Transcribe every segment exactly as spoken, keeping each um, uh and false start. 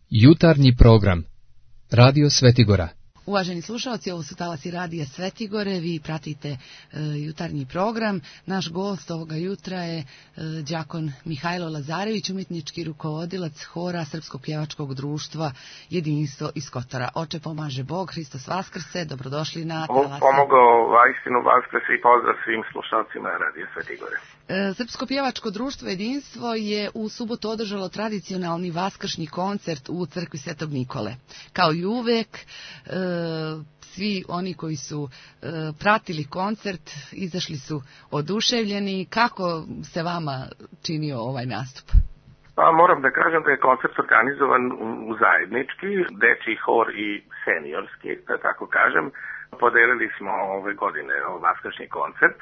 Jutarnji program Radio Svetigora. Uvaženi slušalci, ovo su talasi Radija Svetigore, vi pratite e, jutarnji program. Naš gost ovoga jutra je e, đakon Mihajlo Lazarević, umjetnički rukovodilac hora Srpskog pjevačkog društva Jedinstvo iz Kotora. Oče pomaže Bog, Hristos Vaskrse, dobrodošli na talasi. Pomogao vajstinu Vaskrse i pozdrav svim slušalcima Radija Svetigore. E, Srpsko pjevačko društvo Jedinstvo je u subotu održalo tradicionalni vaskršnji koncert u crkvi Svetog Nikole. Kao i uvek, e, svi oni koji su e, pratili koncert izašli su oduševljeni. Kako se vama činio ovaj nastup? Pa moram da kažem da je koncert organizovan u zajednički, dečiji hor i seniorski, da tako kažem. Podelili smo ove godine vaskršnji koncert.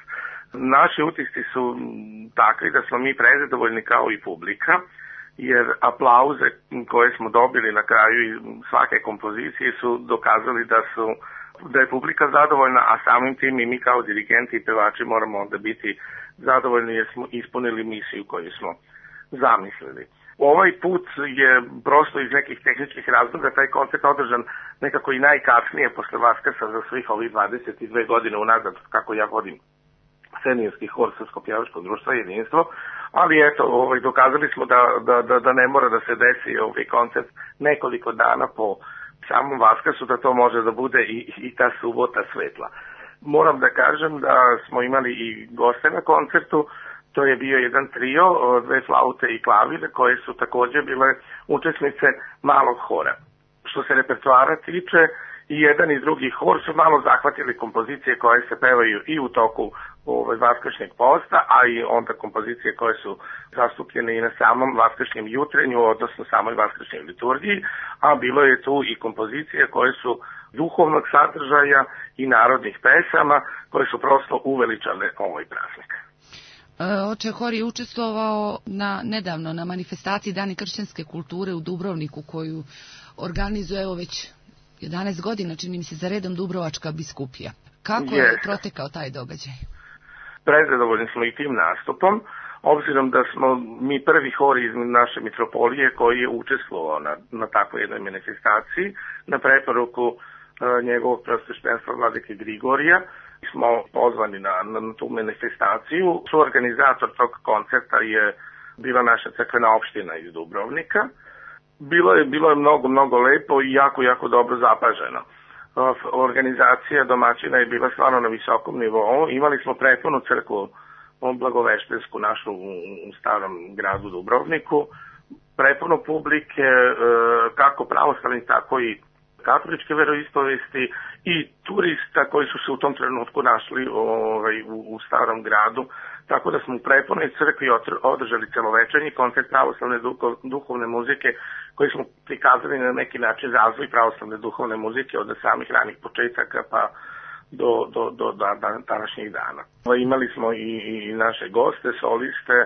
Naši utisci su takvi da smo mi prezadovoljni kao i publika, jer aplauze koje smo dobili na kraju svake kompozicije su dokazali da su da je publika zadovoljna, a samim tim i mi kao dirigenti i pevači moramo onda biti zadovoljni jer smo ispunili misiju koju smo zamislili. Ovaj put je prosto iz nekih tehničkih razloga taj koncert održan nekako i najkasnije posle Vaskrsa za svih ovih dvadeset dve godine unazad kako ja vodim seniorski hor Srpskog pjevačkog društva Jedinstvo, ali eto, ovaj, dokazali smo da, da, da, da ne mora da se desi ovaj koncert nekoliko dana po samom Vaskrsu, da to može da bude i, i ta subota svetla. Moram da kažem da smo imali i goste na koncertu, to je bio jedan trio, dve flaute i klavire, koje su također bile učesnice malog hora. Što se repertoara tiče, i jedan i drugi hor su malo zahvatili kompozicije koje se pevaju i u toku ovaj, vaskršnjeg posta, a i onda kompozicije koje su zastupljene i na samom vaskršnjem jutrenju, odnosno samoj vaskršnjoj liturgiji, a bilo je tu i kompozicije koje su duhovnog sadržaja i narodnih pesama, koje su prosto uveličale ovaj praznik. Oče, hor je učestvovao na, nedavno na manifestaciji Dani kršćanske kulture u Dubrovniku, koju organizuje evo već jedanaest godina, čini mi se, za redom Dubrovačka biskupija. Kako je yes. protekao taj događaj? Prezadovoljni smo i tim nastupom, obzirom da smo mi prvi hor iz naše mitropolije koji je učestvovao na, na takvoj jednoj manifestaciji, na preporuku e, njegovog preosveštenstva vladike Grigorija. Smo pozvani na, na tu manifestaciju. Suorganizator tog koncerta je bila naša crkvena opština iz Dubrovnika. Bilo je, bilo je mnogo, mnogo lepo i jako, jako dobro zapaženo. Organizacija domaćina je bila stvarno na visokom nivou. Imali smo prepunu crkvu blagoveštensku našu u, u starom gradu Dubrovniku. Prepuno publike, kako pravoslavni, tako i katoličke veroispovesti i turista koji su se u tom trenutku našli ovaj, u, u starom gradu. Tako da smo u prepunoj crkvi održali celovečernji koncert pravoslavne duhovne muzike koji smo prikazali na neki način razvoj pravoslavne duhovne muzike od samih ranih početaka pa do, do, do, do današnjih dana. Imali smo i, i naše goste, soliste,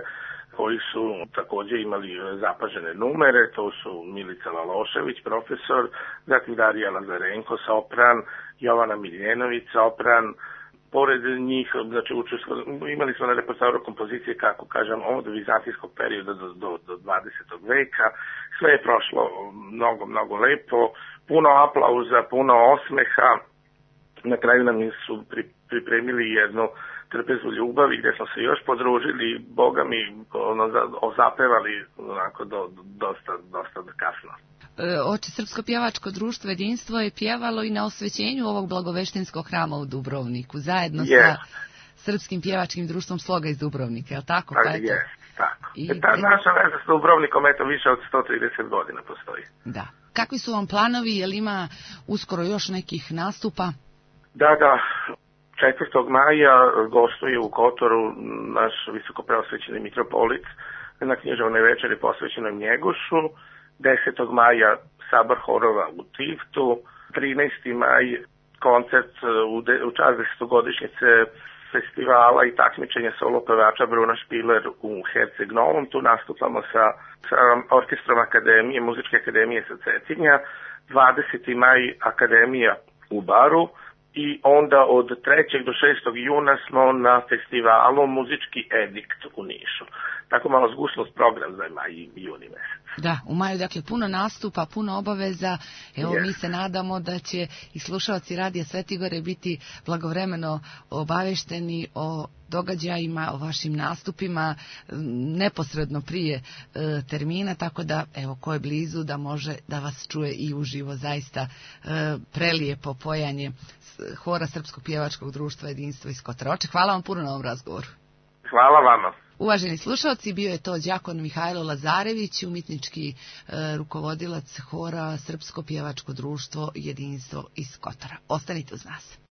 koji su također imali zapažene numere, to su Milica Lalošević, profesor, zatim Darija Lazarenko, sopran, Jovana Miljenović, sopran. Pored njih, znači, imali smo na repertoaru kompozicije, kako kažem, od vizantijskog perioda do, do, do dvadesetog veka. Sve je prošlo mnogo, mnogo lepo, puno aplauza, puno osmeha. Na kraju nam su pri, pripremili jednu trpezu ljubavi gdje smo se još podružili, Boga mi ono, zapevali onako do, do, dosta, dosta kasno. Oče, Srpsko pjevačko društvo Jedinstvo je pjevalo i na osvećenju ovog blagoveštenskog hrama u Dubrovniku, zajedno yes. sa Srpskim pjevačkim društvom Sloga iz Dubrovnika, je li tako? Pa, je, tako. I ta pre... naša veza s Dubrovnikom, eto, više od sto trideset godina postoji. Da. Kakvi su vam planovi, je li ima uskoro još nekih nastupa? Da, da. četvrtog maja gostuje u Kotoru naš visokopreosvećeni mitropolit na književnoj večeri posvećenom Njegošu. desetog maja sabor horova u Tivtu, trinaestog maj koncert u, de, u čast desetogodišnjice festivala i takmičenja solo pevača Bruna Špiler u Herceg Novom. Tu nastupamo sa, sa orkestrom Akademije, Muzičke akademije sa Cetinja. dvadesetog maj Akademija u Baru. I onda od trećeg do šestog juna smo na festivalu Muzički edikt u Nišu. tako malo zgušnost program za maj i juni mesec. Da, u maju, dakle, puno nastupa, puno obaveza. Evo, Yes. mi se nadamo da će i slušalci Radija Svetigore biti blagovremeno obavešteni o događajima, o vašim nastupima neposredno prije e, termina, tako da, evo, ko je blizu da može da vas čuje i uživo. Zaista e, prelijepo pojanje hora Srpskog pjevačkog društva Jedinstvo iz Kotora. Hvala vam puno na ovom razgovoru. Hvala vama. Uvaženi slušalci, bio je to đakon Mihajlo Lazarević, umjetnički e, rukovodilac hora Srpsko pjevačko društvo Jedinstvo iz Kotora. Ostanite uz nas.